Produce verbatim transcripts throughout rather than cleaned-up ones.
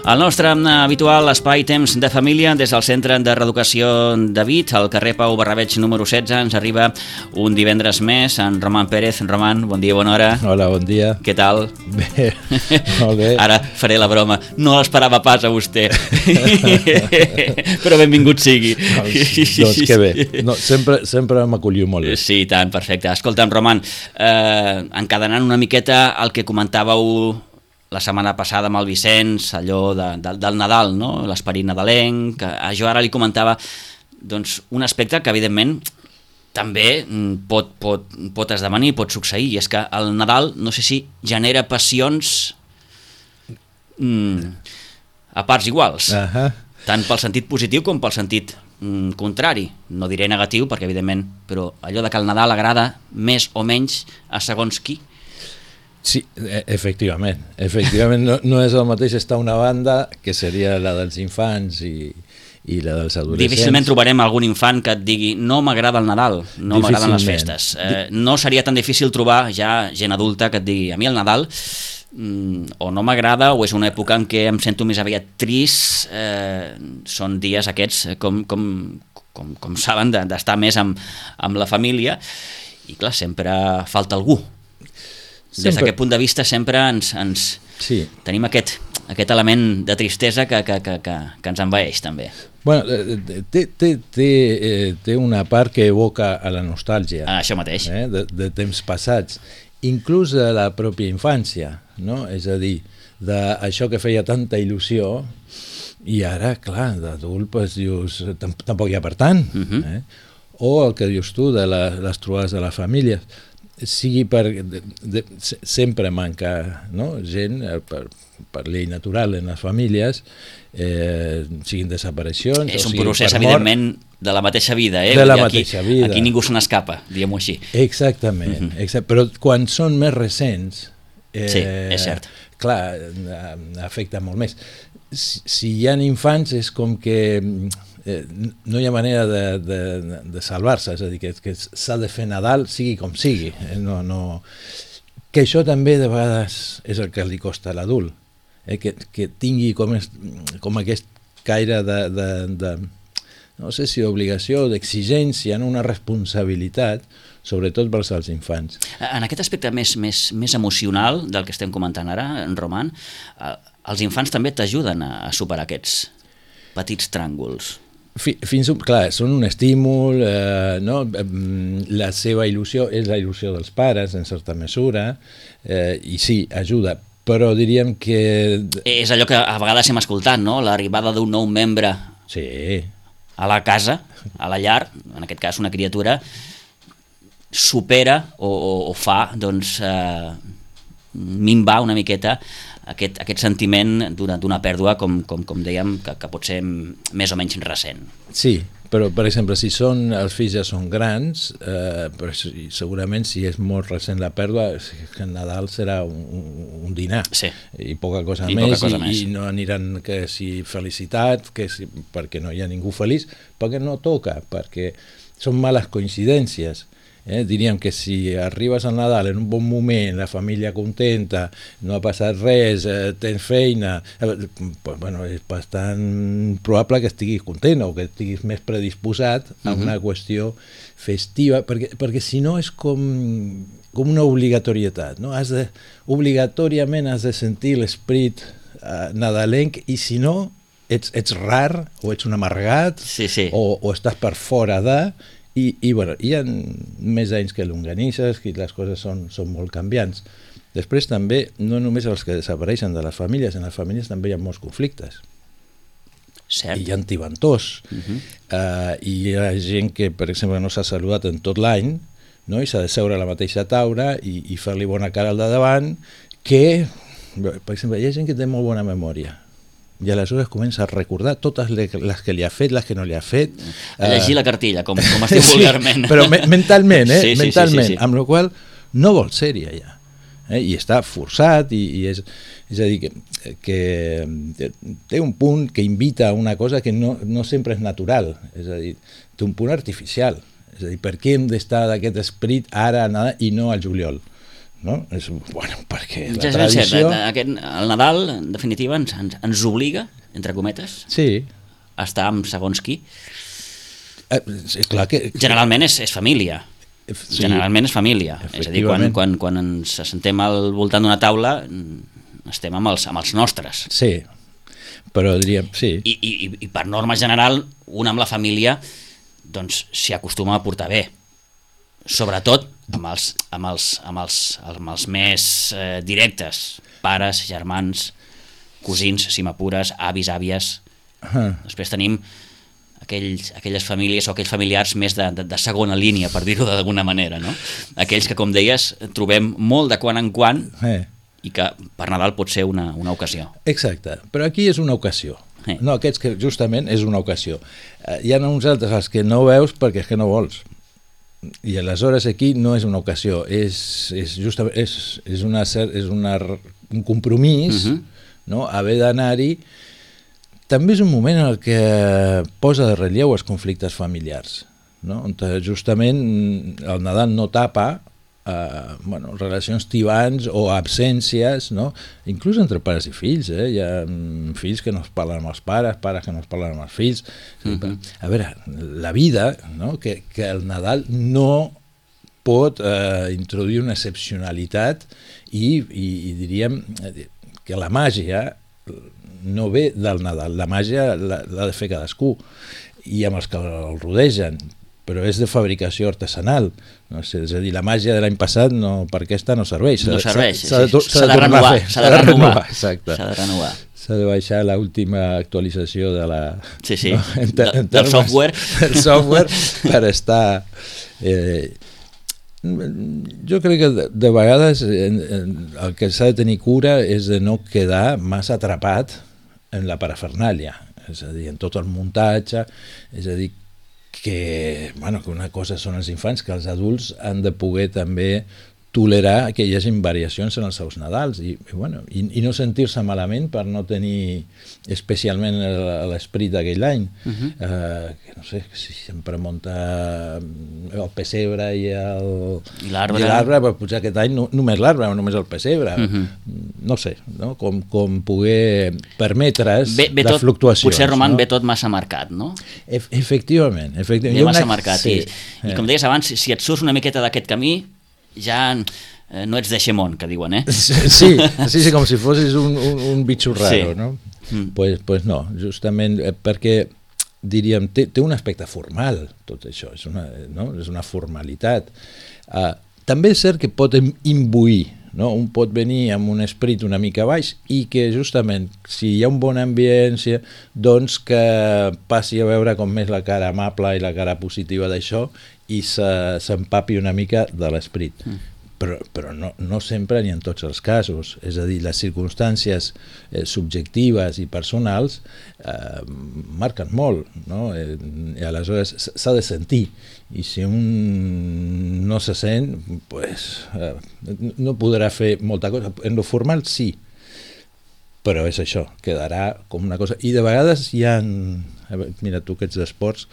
El nostre habitual espai Temps de Família des del Centre de Reeducació de Vic, al carrer Pau Barrabeig número setze, ens arriba un divendres més en Roman Pérez. Roman, bon dia, bona hora. Hola, bon dia. Què tal? Bé, molt bé. Ara faré la broma. No l'esperava pas a vostè. Però benvingut sigui. Doncs, doncs que bé. No, sempre sempre m'acolliu molt bé. Sí, tant, perfecte. Escolta'm, Roman, eh, encadenant una miqueta el que comentàveu la setmana passada amb el Vicenç, allò de, de, del Nadal, no? L'esperit nadalenc. Jo ara li comentava doncs, un aspecte que, evidentment, també pot, pot, pot esdevenir, pot succeir, i és que el Nadal, no sé si genera passions mm, a parts iguals, uh-huh. tant pel sentit positiu com pel sentit mm, contrari. No diré negatiu, perquè, evidentment, però allò de que el Nadal agrada més o menys a segons qui. Sí, efectivament. Efectivament, no, no és el mateix estar una banda, que seria la dels infants i, i la dels adolescents. Difícilment trobarem algun infant que et digui no m'agrada el Nadal, no m'agraden les festes. Eh, no seria tan difícil trobar ja gent adulta que et digui a mi el Nadal mm, o no m'agrada o és una època en què em sento més aviat trist. Eh, són dies aquests, com, com, com, com saben, d'estar més amb, amb la família, i clar, sempre falta algú. Des d'aquest punt de vista sempre ens, ens sí. tenim aquest, aquest element de tristesa que, que, que, que, que ens envaeix també. Bueno, té, té, té, té una part que evoca a la nostàlgia. Ah, això mateix. Eh, de, de temps passats, inclús de la pròpia infància, no? És a dir, d'això que feia tanta il·lusió i ara, clar, d'adult pues, dius, tampoc hi ha per tant. Uh-huh. eh? O el que dius tu de la, les trobades de la família, sigui per de, de, sempre manca, no? gent per, per llei natural en les famílies, eh, siguin desaparicions és o un siguin procés per evidentment de la mateixa vida, eh? de la aquí, mateixa vida. Aquí ningú se n'escapa, diguem-ho així. Exactament, uh-huh. exact, però quan són més recents eh, sí, és cert. Clar, afecta molt més. Si, si hi ha infants és com que Eh, no hi ha manera de, de, de salvar-se, és a dir, que, que s'ha de fer Nadal sigui com sigui. Eh? No, no... Que això també de vegades és el que li costa a l'adult, eh? que, que tingui com, es, com aquest caire de, de, de no sé si d'obligació, d'exigència, una responsabilitat, sobretot pels als infants. En aquest aspecte més, més, més emocional del que estem comentant ara, en Roman, eh, els infants també t'ajuden a, a superar aquests petits tràngols. Fins, clar, són un estímul, eh, no? La seva il·lusió és la il·lusió dels pares, en certa mesura, eh, i sí, ajuda, però diríem que... És allò que a vegades hem escoltat, no? L'arribada d'un nou membre sí. a la casa, a la llar, en aquest cas una criatura, supera o, o, o fa doncs, eh, minvar una miqueta Aquest, aquest sentiment d'una pèrdua, com, com, com dèiem, que, que pot ser més o menys recent. Sí, però, per exemple, si són, els fills ja són grans, eh, però segurament si és molt recent la pèrdua, el Nadal serà un, un dinar, sí. i poca cosa, I més, poca cosa i, més, i no aniran que si felicitat, que si, perquè no hi ha ningú feliç, perquè no toca, perquè són males coincidències. Eh, diríem que si arribes al Nadal en un bon moment, la família contenta, no ha passat res, eh, tens feina, eh, pues, bueno, és bastant probable que estiguis content o que estiguis més predisposat a una uh-huh. qüestió festiva, perquè, perquè si no és com, com una obligatorietat, no? Has de, obligatòriament has de sentir l'esperit eh, nadalenc, i si no ets, ets rar o ets un amargat, sí, sí. O, o estàs per fora de... I, i bueno, hi ha més anys que longanisses, que les coses són, són molt canviants. Després també, no només els que desapareixen de les famílies, en les famílies també hi ha molts conflictes. Cert. I hi ha tibantors. Uh-huh. uh, I hi ha gent que, per exemple, no s'ha saludat en tot l'any, no? I s'ha de seure a la mateixa taula i, i fer-li bona cara al de davant, que, per exemple, hi ha gent que té molt bona memòria. I aleshores comença a recordar totes les que li ha fet, les que no li ha fet. A llegir uh... la cartilla, com, com es diu sí, vulgarment. Però me mentalment, eh? Sí, sí, mentalment, sí, sí, sí. Amb la qual no vol ser-hi allà. Eh? I està forçat, i, i és, és a dir, que, que té un punt que invita a una cosa que no, no sempre és natural, és a dir, té un punt artificial. És a dir, per què hem d'estar d'aquest esperit ara i no al juliol? no? És, bueno, perquè la ja és tradició... cert, aquest, el Nadal, en definitiva, ens, ens, ens obliga, entre cometes, sí. a estar amb segons qui. Eh, clar que... Generalment és, és família. Sí. Generalment és família. És a dir, quan, quan, quan ens assentem al voltant d'una taula estem amb els, amb els nostres. Sí, però diríem, sí. I, i, i per norma general, un amb la família doncs s'hi acostuma a portar bé. Sobretot amb els, amb els, amb els, amb els més eh, directes, pares, germans, cosins, si m'apures, avis, àvies. Uh-huh. Després tenim aquells, aquelles famílies o aquells familiars més de, de, de segona línia, per dir-ho d'alguna manera, no? Aquells que, com deies, trobem molt de quan en quan eh. i que per Nadal pot ser una, una ocasió. Exacte, però aquí és una ocasió. Eh. No, aquests que justament és una ocasió. Eh, hi ha uns altres els que no veus perquè és que no vols. I aleshores aquí no és una ocasió, és, és, justament, és, és, una, és una, un compromís, uh-huh. no? Haver d'anar-hi. També és un moment en el que posa de relleu els conflictes familiars, no? On justament el Nadal no tapa eh, bueno, relacions tibants o absències, no? Inclús entre pares i fills, eh? Hi ha fills que no es parlen amb els pares, pares que no es parlen amb els fills. Uh-huh. A veure, la vida, no? que, que el Nadal no pot eh, introduir una excepcionalitat i, i, i diríem que la màgia no ve del Nadal, la màgia l'ha de fer cadascú i amb els que el rodegen, però és de fabricació artesanal, no sé, és a dir, la màgia de l'any passat no, per aquesta no serveix, no serveix, s'ha de, s'ha de, de renovar, s'ha de renovar, exacte, s'ha de renovar, s'ha de baixar l'última actualització de la, sí, sí. No? En, en, en del software, del software per estar eh, jo crec que de, de vegades en, en, el que s'ha de tenir cura és de no quedar massa atrapat en la parafernàlia, és a dir, en tot el muntatge, és a dir, que, bueno, que una cosa són els infants, que els adults han de poder també tolerar que hi hagi variacions en els seus Nadals i, i, bueno, i, i no sentir-se malament per no tenir especialment l'esperit d'aquell any. Uh-huh. eh, que no sé, si sempre munta el pessebre i l'arbre, però potser aquest any no, només l'arbre o només el pessebre. Uh-huh. No sé, no? Com, com poder permetre's ve, ve les tot, fluctuacions. Potser, Roman, no? ve tot massa marcat, no? E efectivament. efectivament. Ve massa una... marcat. Sí. I, I com deies abans, si et surts una miqueta d'aquest camí, ja eh, no ets de Xemón, que diuen, eh? Sí, sí, sí, com si fossis un, un, un bitxo raro, sí. No? Mm. Pues, pues no, justament eh, perquè, diríem, té, té un aspecte formal, tot això, és una, no? És una formalitat. Uh, també és cert que pot imbuir, no? Un pot venir amb un esperit una mica baix i que justament, si hi ha un bon ambient, si, doncs que passi a veure com més la cara amable i la cara positiva d'això i s'empapi una mica de l'esperit. Mm. Però, però no, no sempre ni en tots els casos. És a dir, les circumstàncies eh, subjectives i personals eh, marquen molt, no? Eh, i aleshores s'ha de sentir. I si un no se sent, pues, eh, no podrà fer molta cosa. En lo formal sí, però és això, quedarà com una cosa. I de vegades hi ha, mira tu que ets d'esports,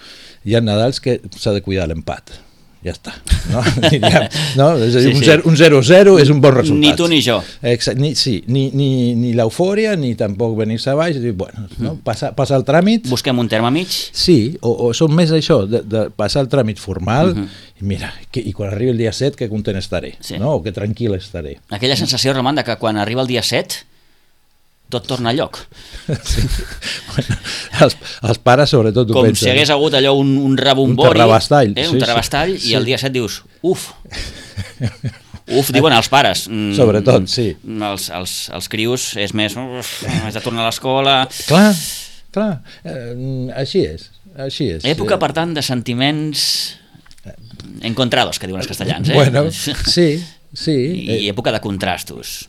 hi ha Nadals que s'ha de cuidar l'empat. Ja està. No? No? És a dir, sí, sí. Un zero zero és un bon resultat. Ni tu ni jo. Exacte. Ni, sí, ni, ni, ni l'eufòria, ni tampoc venir-se a baix. Dir, bueno, no? Passar, passar el tràmit. Busquem un terme mig. Sí, o, o som més això, de, de passar el tràmit formal, uh -huh. i mira, que, i quan arribi el dia set que content estaré, sí. No? O que tranquil estaré. Aquella sensació, Roman, de que quan arriba el dia set tot torna a lloc. Sí. Bueno, els, els pares sobretot ho com pensen. Si hagués hagut allò un, un rebombori, un terrabastall, eh, sí, un terrabastall sí. I el dia set dius, uf, uf, diuen els pares. Sobretot, sí. Els, els, els crios és més, uf, has de tornar a l'escola. Clar, clar, eh, així és, així és. Època, per tant, de sentiments encontrados, que diuen els castellans. Eh? Bueno, sí, sí. I època de contrastos.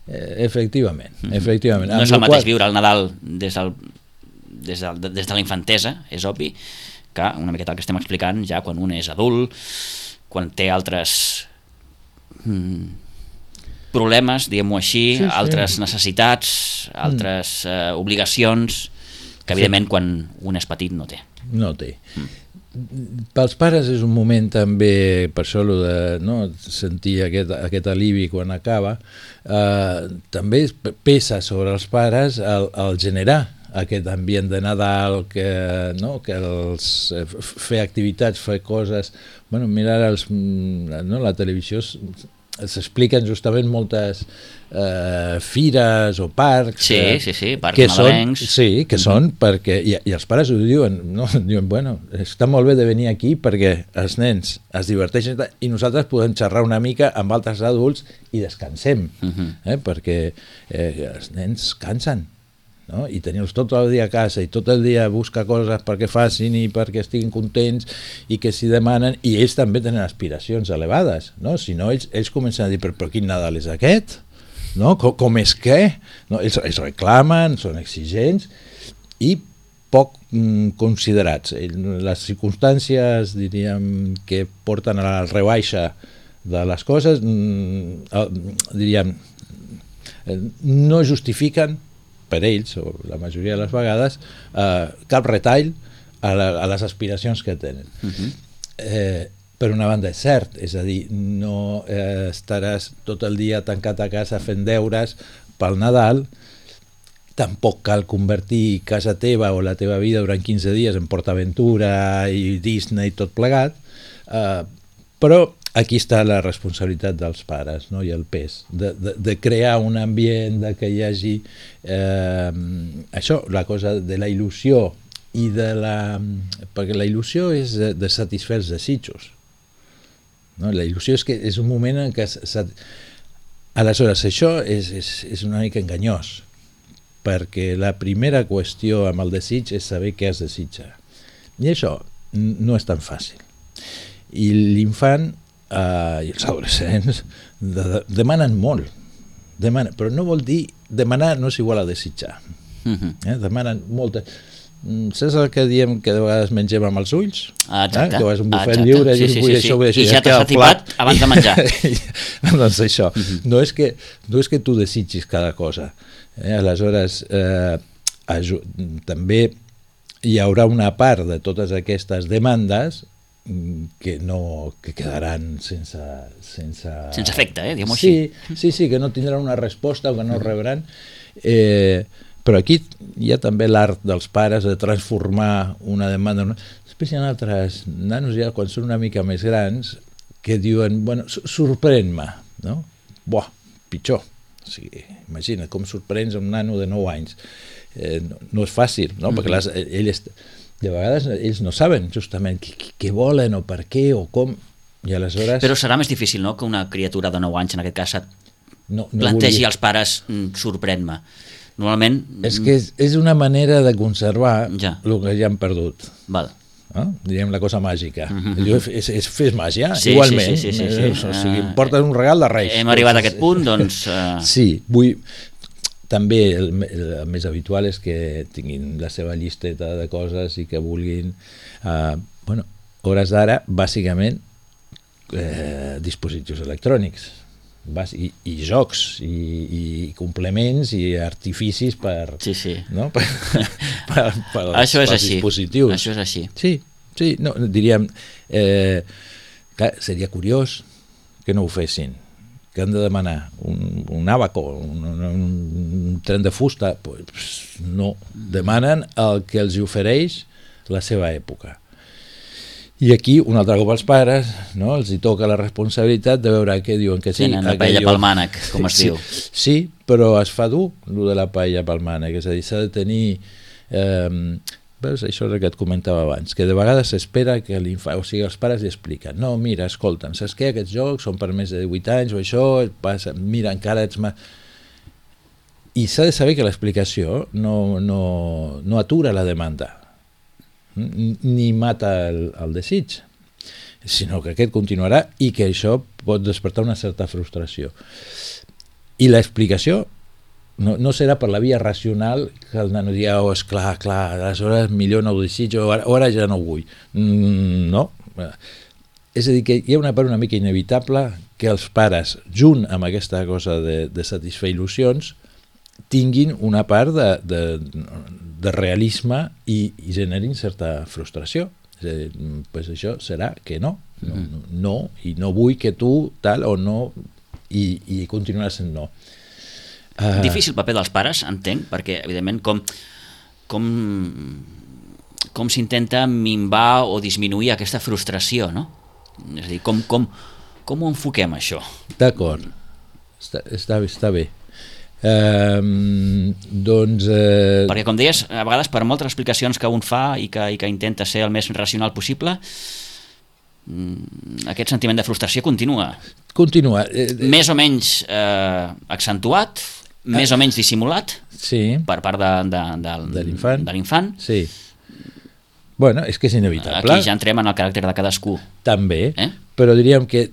Eh, efectivament, efectivament. No és el mateix viure el Nadal des, del, des, de, des de la infantesa, és obvi, que una miqueta el que estem explicant ja quan un és adult, quan té altres mm, problemes, diguem-ho així, sí, sí. Altres necessitats, altres mm. eh, obligacions, que evidentment quan un és petit no té. No té. Mm. pels pares és un moment també, per això de no, sentir aquest, aquest alivi quan acaba, eh, també pesa sobre els pares el, el generar aquest ambient de Nadal, que, no, que els, fer activitats, fer coses... Bueno, mira, els, no, la televisió s'expliquen justament moltes eh, fires o parcs sí, eh, sí, sí, parcs que nadalencs són, sí, que mm-hmm. són perquè, i, i els pares ho diuen, no? Diuen, bueno, està molt bé de venir aquí perquè els nens es diverteixen i nosaltres podem xerrar una mica amb altres adults i descansem, mm-hmm. eh? perquè eh, els nens cansen, no? I tenir-los tot el dia a casa i tot el dia buscar coses perquè facin i perquè estiguin contents i que s'hi demanen, i ells també tenen aspiracions elevades, no? Si no, ells, ells comencen a dir, però, però quin Nadal és aquest? No? Com, com és que? No? Ells, ells reclamen, són exigents i poc mm, considerats. Les circumstàncies, diríem, que porten a la rebaixa de les coses, mm, diríem, no justifiquen per ells, o la majoria de les vegades, eh, cap retall a, la, a les aspiracions que tenen. Uh-huh. Eh, per una banda és cert, és a dir, no eh, estaràs tot el dia tancat a casa fent deures pel Nadal, tampoc cal convertir casa teva o la teva vida durant quinze dies en PortAventura i Disney i tot plegat, eh, però aquí està la responsabilitat dels pares, no? I el pes de, de, de crear un ambient, de que hi hagi eh, això, la cosa de la il·lusió i de la... perquè la il·lusió és de, de satisfer els desitjos, no? La il·lusió és que és un moment en què sat... aleshores això és, és, és una mica enganyós, perquè la primera qüestió amb el desig és saber què es desitja, i això no és tan fàcil, i l'infant Uh, i els adolescents de, de, demanen molt, demanen, però no vol dir, demanar no és igual a desitjar, uh-huh. eh? Demanen molta. Saps el que diem que de vegades mengem amb els ulls? Ah, exacte. Eh? Que vas a un bufet Exacte. lliure sí, i, sí, vull sí, això, sí. vull això, I ja t'has atipat abans de menjar. Doncs això, uh-huh. no, és que, no és que tu desitgis cada cosa, eh? Aleshores eh, aju- també hi haurà una part de totes aquestes demandes que no que quedaran sense sense, sense efecte, eh? Diguem-ho sí, així. Sí, sí, que no tindran una resposta o que no rebran, eh, però aquí hi ha també l'art dels pares de transformar una demanda. Després hi ha altres nanos ja quan són una mica més grans que diuen, bueno, sorprèn-me, no? Buah, pitjor. O sigui, imagina com sorprens un nano de nou anys. Eh, no, no és fàcil, no? Mm-hmm. Perquè les, ell és, de vegades ells no saben justament què, què volen o per què o com, i aleshores... Però serà més difícil, no?, que una criatura de nou anys, en aquest cas, no, no plantegi volia... als pares sorprèn-me. Normalment... És que és, és una manera de conservar ja. el que ja han perdut. Val. No? Diríem la cosa màgica. Mm-hmm. És, és fer màgia, sí, igualment. Sí, sí, sí, sí, sí. O sigui, em porten un regal de Reis. Hem arribat a aquest punt, doncs... Uh... Sí, vull... També el, el més habitual és que tinguin la seva llisteta de coses i que vulguin, eh, bueno, hores d'ara, bàsicament, eh, dispositius electrònics bàs, i, i jocs i, i complements i artificis per, sí, sí. No? per, per, per això és per així. dispositius. Això és així. Sí, sí, no, diríem, eh, clar, seria curiós que no ho fessin, que han de demanar un, un abaco, un, un, un tren de fusta, pues no, demanen el que els ofereix la seva època. I aquí, un altre cop els pares, no, els hi toca la responsabilitat de veure què diuen que sí. Tenen la paella pel mànec, com es sí, diu. Sí, però es fa dur, el de la paella pel mànec, és a dir, s'ha de tenir... Eh, veus, això és el que et comentava abans, que de vegades s'espera que l'infant, o sigui, els pares li expliquen, no, mira, escolta'm, saps què, aquests jocs són per més de divuit anys o això, passa, mira, encara ets... Ma... I s'ha de saber que l'explicació no, no, no atura la demanda, ni mata el, el desig, sinó que aquest continuarà i que això pot despertar una certa frustració. I l'explicació No, no serà per la via racional que el nano digui, oh, esclar, clar, aleshores millor no ho desitjo, ara, ara ja no ho vull. Mm, no. És a dir, que hi ha una part una mica inevitable que els pares, junt amb aquesta cosa de, de satisfer il·lusions, tinguin una part de, de, de realisme i, i generin certa frustració. És a dir, pues això serà que no, no, no, no, i no vull que tu tal o no, i, i continuarà sent no. Uh... Difícil paper dels pares, entenc, perquè evidentment com, com, com s'intenta minvar o disminuir aquesta frustració, no? És a dir, com, com, com ho enfoquem, això? D'acord, està, està, està bé. Um, doncs... Uh... Perquè, com deies, a vegades per moltes explicacions que un fa i que, i que intenta ser el més racional possible, aquest sentiment de frustració continua. Continua. Més o menys eh, accentuat, més o menys dissimulat, sí, per part de, de, de, de l'infant. De l'infant. Sí. Bueno, és que és inevitable. Aquí ja entrem en el caràcter de cadascú. També, eh? però diríem que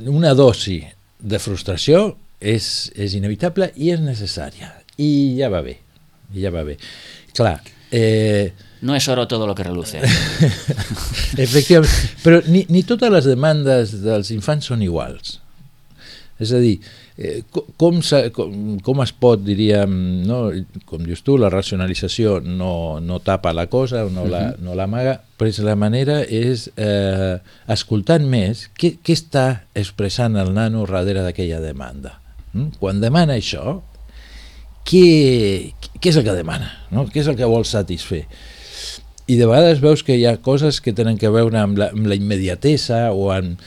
una dosi de frustració és, és inevitable i és necessària. I ja va bé. I ja va bé. Clar, eh... no és oro todo lo que reluce. Efectivament, però ni, ni totes les demandes dels infants són iguals. És a dir, eh, com, com, com es pot, diríem, no? Com dius tu, la racionalització no, no tapa la cosa, no la, no l'amaga, però la manera és eh, escoltant més què, què està expressant el nano darrere d'aquella demanda. Mm? Quan demana això, què, què és el que demana? No? Què és el que vol satisfer? I de vegades veus que hi ha coses que tenen que veure amb la, amb la immediatesa o amb...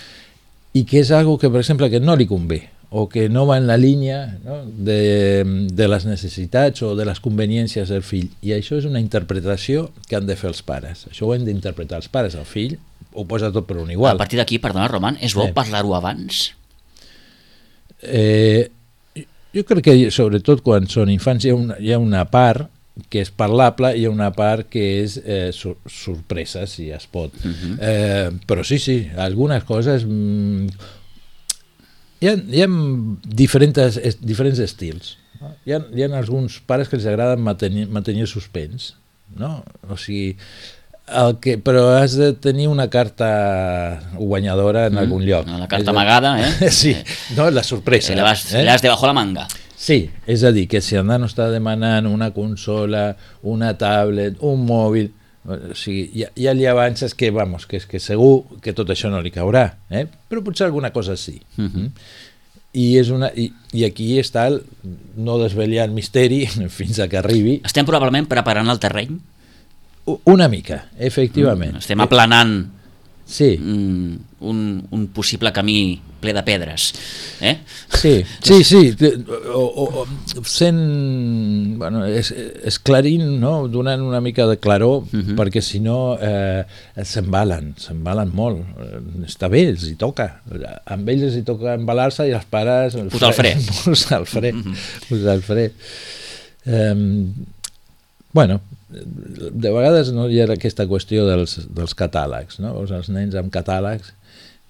i que és algo que, per exemple, que no li convé o que no va en la línia, no? de, de les necessitats o de les conveniències del fill. I això és una interpretació que han de fer els pares. Això ho hem d'interpretar els pares. El fill ho posa tot per un igual. A partir d'aquí, perdona, Roman, és bo eh. parlar-ho abans? Eh, jo crec que, sobretot quan són infants, hi ha una, hi ha una part que és parlable i hi ha una part que és eh, sur sorpresa, si es pot. Uh-huh. eh, però sí, sí, algunes coses... Mm, hi ha, hi ha diferents, diferents estils. No? Hi, ha, hi ha alguns pares que els agrada mantenir, mantenir suspens, no? O sigui, el que, però has de tenir una carta guanyadora en mm, algun lloc. La carta amagada, eh? Sí, no, la sorpresa. Le vas, eh? le vas debajo la manga. Sí, és a dir, que si el nano està demanant una consola, una tablet, un mòbil, o sigui, ja, ja li avances que, vamos, que, que segur que tot això no li caurà, eh? Però potser alguna cosa sí. Uh-huh. I, és una, i, i aquí està el no desvetllar el misteri fins a que arribi. Estem probablement preparant el terreny? Una mica, efectivament. Estem aplanant sí. un, un, un possible camí ple de pedres. Eh? Sí, sí, sí. O, o, o sent, bueno, es, esclarint, no? Donant una mica de claror, uh-huh. perquè si no eh, s'embalen, s'embalen molt. Està bé, els hi toca. Amb ells els hi toca embalar-se i els pares... Posar el fre. Posar el fre. Posar el fre. Um, bueno, de vegades no hi ha aquesta qüestió dels, dels catàlegs, no? Els nens amb catàlegs,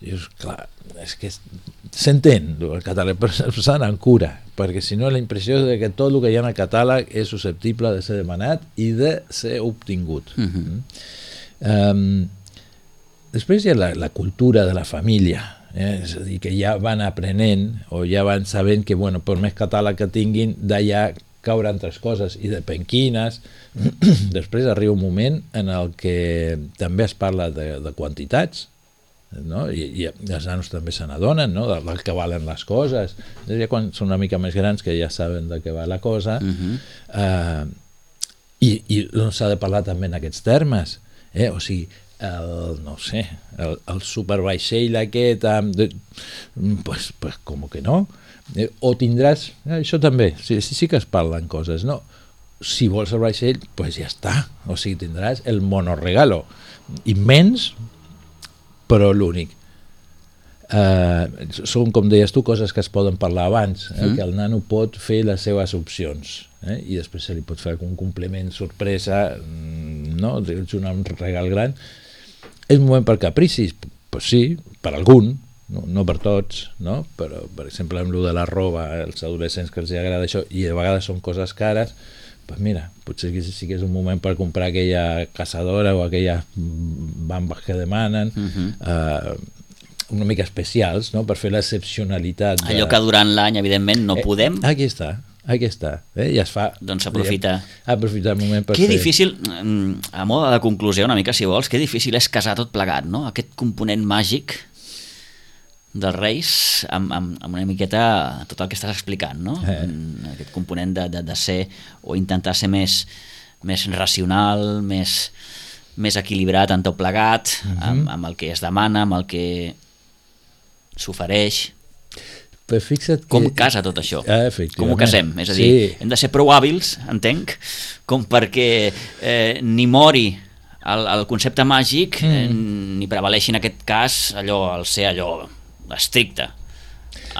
dius, clar, és que s'entén el catàleg, però s'ha d'anar amb cura, perquè si no la impressió és que tot el que hi ha en el catàleg és susceptible de ser demanat i de ser obtingut. Uh-huh. um, després hi ha la, la cultura de la família, eh? És a dir, que ja van aprenent o ja van sabent que, bueno, per més catàleg que tinguin, d'allà cauran altres coses i depèn quines. Després arriba un moment en el que també es parla de, de quantitats, no? I, i els nanos també se n'adonen, no? del, del que valen les coses. Ja quan són una mica més grans que ja saben de què va la cosa. Uh-huh. uh, i, i doncs s'ha de parlar també en aquests termes, eh? O sigui, el, no sé, el, el supervaixell aquest amb de, pues, pues com que no, eh? O tindràs, eh, això també, sí, sí, sí que es parlen coses, no? Si vols el vaixell, pues ja està, o sigui, tindràs el monoregalo immens, però l'únic. Uh, són, com deies tu, coses que es poden parlar abans, eh? Mm. Que el nano pot fer les seves opcions, eh? I després se li pot fer un complement sorpresa, no? Un regal gran. És un moment per capricis, pues sí, per algun, no, no per tots, no? Però, per exemple, amb lo de la roba, als adolescents que els agrada això, i a vegades són coses cares, pues mira, potser sí que és un moment per comprar aquella caçadora o aquelles bambes que demanen, uh-huh. uh, una mica especials, no? Per fer l'excepcionalitat. De... Allò que durant l'any, evidentment, no eh, podem. Aquí està. aquí està, eh? I es fa... Doncs s'aprofita. Aprofitar el moment per que fer... difícil, a mode de conclusió una mica si vols, que difícil és casar tot plegat, no? Aquest component màgic dels Reis amb, amb, amb una miqueta tot el que estàs explicant, no? Eh. Aquest component de, de, de ser o intentar ser més, més racional, més, més equilibrat en tot plegat, uh-huh. amb, amb el que es demana, amb el que s'ofereix. Però fixa't que... Com casa tot això? Ah, com ho casem? És a dir, sí. hem de ser prou hàbils, entenc, com perquè eh, ni mori el, el concepte màgic, mm. eh, ni prevaleixi en aquest cas allò, el ser allò estricte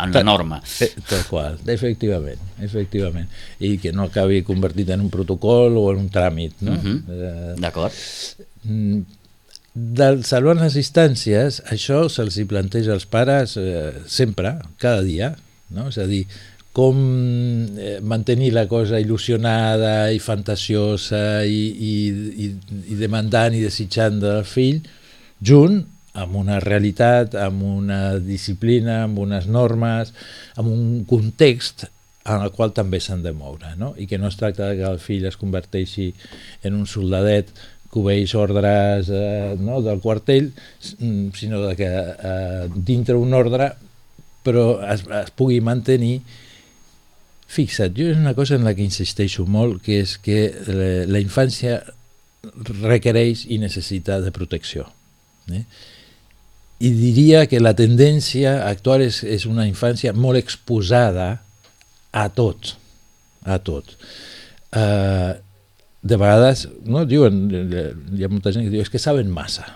en la norma. Tal qual, efectivament, efectivament. I que no acabi convertit en un protocol o en un tràmit, no? Uh-huh. eh, D'acord. Del salvar les distàncies, això se'ls hi planteja als pares eh, sempre, cada dia, no? És a dir, com eh, mantenir la cosa il·lusionada i fantasiosa i, i, i, i demandant i desitjant del fill, junt amb una realitat, amb una disciplina, amb unes normes, amb un context en el qual també s'han de moure, no? I que no es tracta que el fill es converteixi en un soldadet que obeeix ordres eh, no, del quartell, sinó de que eh, dintre un ordre però es, es pugui mantenir. Fixa't, jo és una cosa en la que insisteixo molt, que és que la, la infància requereix i necessita de protecció. Eh? I diria que la tendència actual és, és una infància molt exposada a tot, a tot. Eh, de vegades, no, diuen, hi ha molta gent que diu, és que saben massa.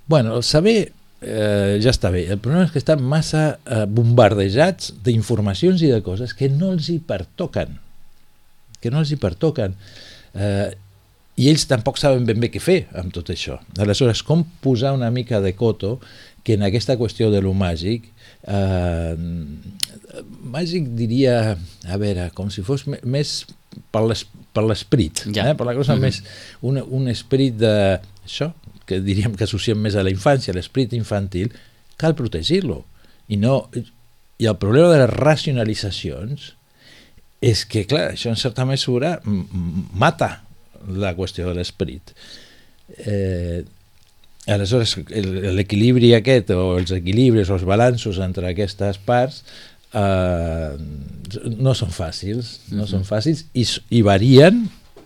Bueno, el saber eh, ja està bé, el problema és que estan massa eh, bombardejats d'informacions i de coses que no els hi pertoquen, que no els hi pertoquen, eh, i ells tampoc saben ben bé què fer amb tot això. Aleshores, com posar una mica de coto que en aquesta qüestió de lo màgic, eh, màgic diria, a veure, com si fos més per l'esperit, ja. eh? per la cosa mm-hmm. més, un, un esperit de això, que diríem que associem més a la infància, l'esperit infantil, cal protegir-lo. I, no, I el problema de les racionalitzacions és que, clar, això en certa mesura mata la qüestió de l'esperit. Eh, aleshores, l'equilibri aquest, o els equilibris, o els balanços entre aquestes parts, Uh, no són fàcils, no uh-huh. són fàcils i, i varien,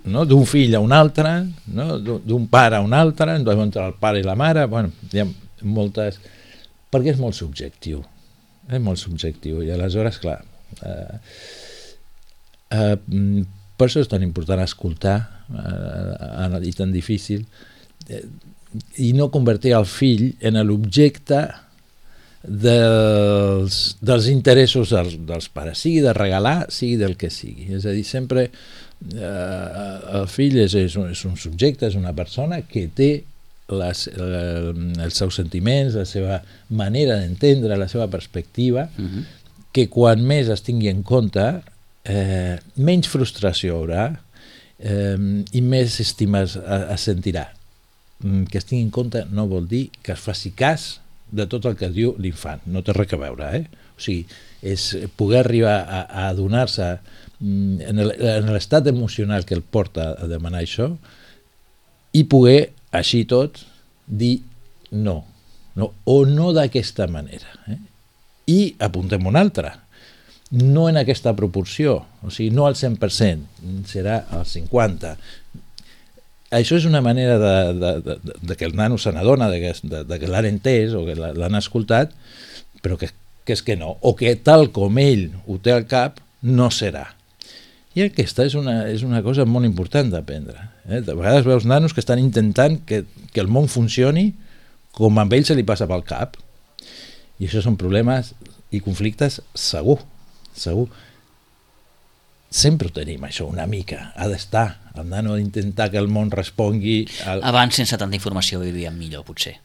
no? D'un fill a un altre, no? D'un pare a un altre, entre el pare i la mare, bueno, hi ha moltes... perquè és molt subjectiu, és molt subjectiu, i aleshores, clar, uh, uh, per això és tan important escoltar uh, i tan difícil, uh, i no convertir el fill en l'objecte dels, dels interessos dels, dels pares, sigui de regalar, sigui del que sigui. És a dir, sempre eh, el fill és, és, un, és un subjecte, és una persona que té les, eh, els seus sentiments, la seva manera d'entendre, la seva perspectiva, uh-huh. que quan més es tingui en compte, eh, menys frustració haurà eh, i més estima es, es sentirà. Que es tingui en compte no vol dir que es faci cas de tot el que diu l'infant, no té res a veure, eh? O sigui, és poder arribar a, a adonar-se en l'estat emocional que el porta a demanar això i poder, així tot, dir no, no o no d'aquesta manera. Eh? I apuntem una altra, no en aquesta proporció, o sigui, no al cent per cent, serà al cinquanta per cent. Això és una manera de, de, de, de que el nano se n'adona, de, de, de que l'han entès o que l'han escoltat, però que, que és que no, o que tal com ell ho té al cap, no serà. I aquesta és una, és una cosa molt important d'aprendre. Eh? De vegades veus nanos que estan intentant que, que el món funcioni com a ell se li passa pel cap. I això són problemes i conflictes segur, segur. Sempre tenim això una mica, ha d'estar, el nano ha d'intentar que el món respongui... Al... Abans, sense tanta informació, vivíem millor, potser.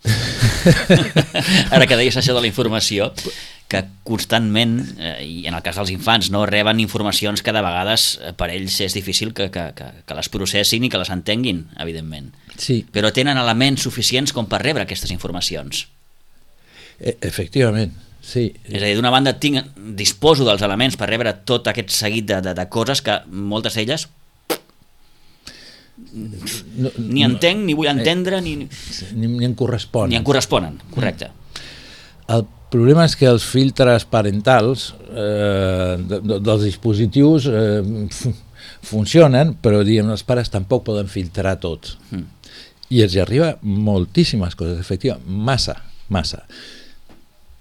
Ara que deies això de la informació, que constantment, eh, i en el cas dels infants, no reben informacions que de vegades per ells és difícil que, que, que, que les processin i que les entenguin, evidentment. Sí. Però tenen elements suficients com per rebre aquestes informacions. E- efectivament, sí. És a dir, d'una banda tinc, disposo dels elements per rebre tot aquest seguit de, de, de coses que moltes d'elles no, ni entenc, no, ni vull entendre, ni, ni, ni em corresponen. Ni em corresponen, correcte. El problema és que els filtres parentals eh, de, de, dels dispositius eh, funcionen, però diguem, els pares tampoc poden filtrar tot. Mm. I els hi arriba moltíssimes coses, efectivament, massa, massa.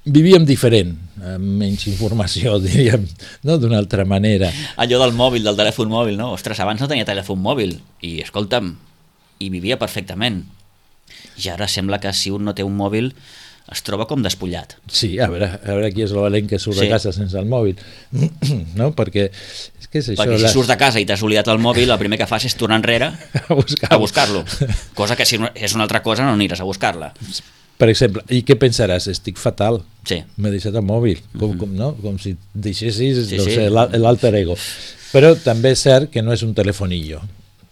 Vivíem diferent, amb menys informació, diríem, no? D'una altra manera. Allò del mòbil, del telèfon mòbil, no? Ostres, abans no tenia telèfon mòbil i, escolta'm, hi vivia perfectament. I ara sembla que si un no té un mòbil es troba com despullat. Sí, a veure, a veure qui és el valent que surt sí. de casa sense el mòbil. No? Perquè és que és això, Perquè si la... surts de casa i t'has oblidat el mòbil, el primer que fas és tornar enrere a buscar-lo. a buscar-lo. Cosa que si és una altra cosa no aniràs a buscar-la. Per exemple, i què pensaràs? Estic fatal. Sí. M'he deixat el mòbil, com, com, no? Com si deixessis sí, no sí. sé, l'alter ego. Però també és cert que no és un telefonillo,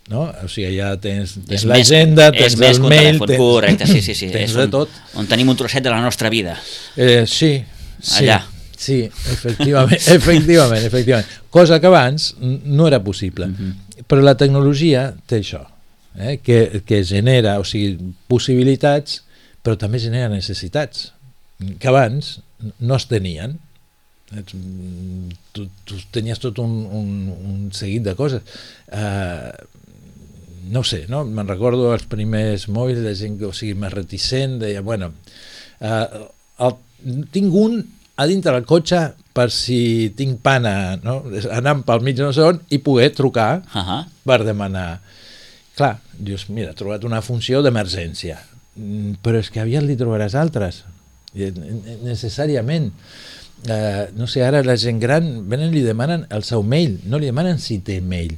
no? O sigui, ja tens, tens l'agenda, tens el mail, tens, correcte, sí, sí, sí. tens és de un, tot. On tenim un trosset de la nostra vida. Eh, sí, sí. Allà. Sí, efectivament, efectivament, efectivament. Cosa que abans no era possible. Uh-huh. Però la tecnologia té això, eh? que, que genera, o sigui, possibilitats, però també genera necessitats que abans no es tenien. Tu, tu tenies tot un, un, un seguit de coses. Uh, no sé, no? Me'n recordo els primers mòbils de gent que, o sigui, més reticent, deia, bueno, uh, el, tinc un a dintre del cotxe per si tinc pana, no? Anant pel mig no sé on i poder trucar uh-huh. per demanar. Clar, dius, mira, he trobat una funció d'emergència, però és que aviat li trobaràs altres, necessàriament. Uh, no sé, ara la gent gran venen i li demanen el seu mail, no li demanen si té mail.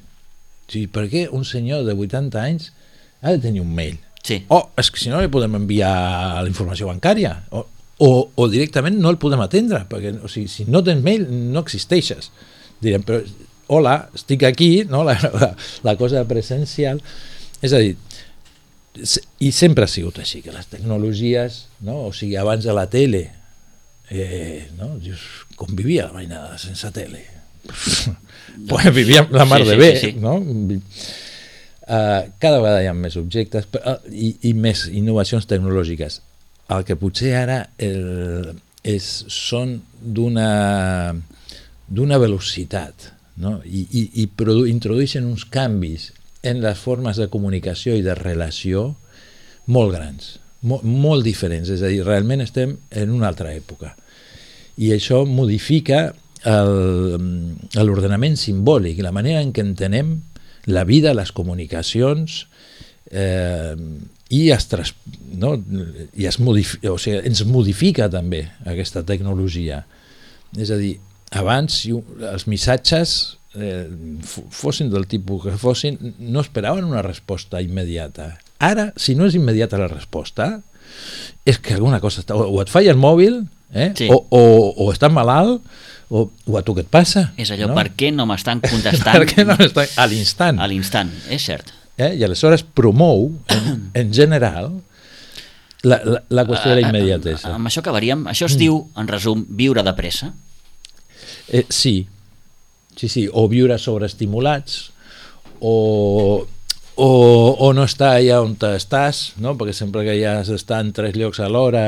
O sigui, per què un senyor de vuitanta anys ha de tenir un mail? Sí. O és que si no li podem enviar la informació bancària, o, o, o directament no el podem atendre, perquè o sigui, si no tens mail no existeixes. Direm, però hola, estic aquí, no? la, la, la cosa presencial. És a dir, i sempre ha sigut així, que les tecnologies, no? O sigui, abans de la tele, eh, no? Dius, com vivia la mainada sense tele? Pues vivíem la mar sí, de sí, bé, sí, sí. no? Uh, cada vegada hi ha més objectes uh, i, i més innovacions tecnològiques. El que potser ara el, és, són d'una d'una velocitat, no? I, i, i produ- introdueixen uns canvis en les formes de comunicació i de relació molt grans, molt, molt diferents, és a dir, realment estem en una altra època. I això modifica l'ordenament simbòlic, la manera en què entenem la vida, les comunicacions, eh, i, es tras, no? I es modifica, o sigui, ens modifica també aquesta tecnologia. És a dir, abans si els missatges eh, fossin del tipus que fossin, no esperaven una resposta immediata. Ara, si no és immediata la resposta, és que alguna cosa està, o et falla el mòbil, eh? sí. o, o, o estàs malalt, o, o a tu què et passa? És allò, no? Per què no m'estan contestant? Per què no m'estan? A l'instant. A l'instant, és cert. Eh? I aleshores promou, en, en general, la, la, la qüestió de la immediatesa. Amb això acabaríem. Això es mm. diu, en resum, viure de pressa? Eh, sí, sí, sí, o viure sobreestimulats, o, o, o no estar allà on estàs, no? Perquè sempre que ja has d'estar en tres llocs alhora,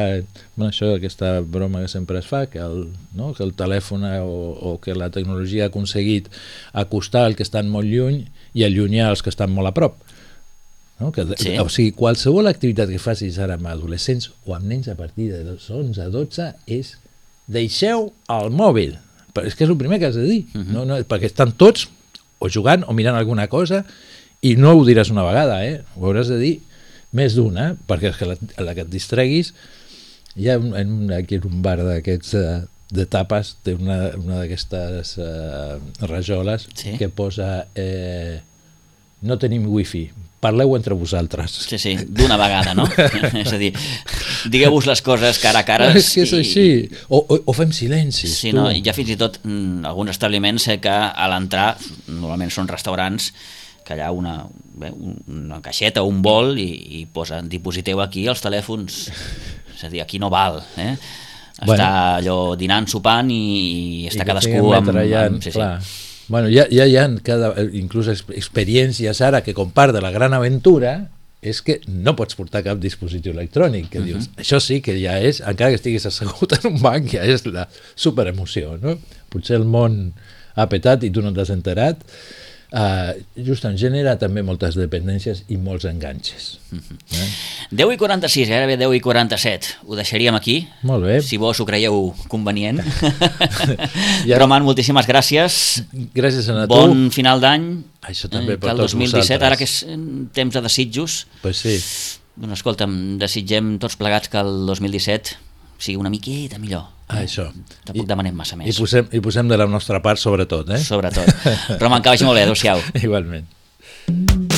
bueno, això aquesta broma que sempre es fa, que el, no? que el telèfon o, o que la tecnologia ha aconseguit acostar els que estan molt lluny i allunyar els que estan molt a prop. No? Que, sí. O sigui, qualsevol activitat que facis ara amb adolescents o amb nens a partir de onze a dotze és deixeu el mòbil. Però és que és el primer que has de dir, uh-huh. no, no, perquè estan tots o jugant o mirant alguna cosa i no ho diràs una vegada, eh? Ho hauràs de dir més d'una, perquè és que la, la que et distreguis, hi ha un, en, aquí en un bar d'aquests uh, de tapes, té una, una d'aquestes uh, rajoles sí. que posa eh, no tenim wifi, parleu entre vosaltres. Sí, sí, d'una vegada, no? És a dir, digueu-vos les coses cara a cara. És que és així, o, o, o fem silencis. Sí, no, i ja fins i tot mm, alguns establiments sé que a l'entrar, normalment són restaurants, que allà una, bé, una caixeta o un bol i, i posen, dipositeu aquí els telèfons. És a dir, aquí no val, eh? Està bueno, allò dinant, sopant i, i està i cadascú amb... Ja, amb sí, clar. Sí. Bueno, ja, ja hi ha cada, inclús experiències ara que com part de la gran aventura és que no pots portar cap dispositiu electrònic, que uh -huh. dius, això sí que ja és, encara que estiguis assegut en un banc, ja és la superemoció, no? Potser el món ha petat i tu no t'has enterat. Uh, justament genera també moltes dependències i molts enganxes. Uh -huh. eh? deu i quaranta-sis, gairebé deu i quaranta-set. Ho deixaríem aquí. Molt bé. Si vos ho creieu convenient. ja. Roman, moltíssimes gràcies. Gràcies a tu. Bon final d'any. Això també per el tots dos mil disset, vosaltres. ara que és temps de desitjos. Pues sí. Doncs escolta'm, desitgem tots plegats que el dos mil disset sigui una miqueta millor. Ah, això. Tampoc I, demanem massa més. I posem, I posem de la nostra part, sobretot. Eh? Sobretot. Roman, que vagi molt bé. Adéu-siau. Igualment.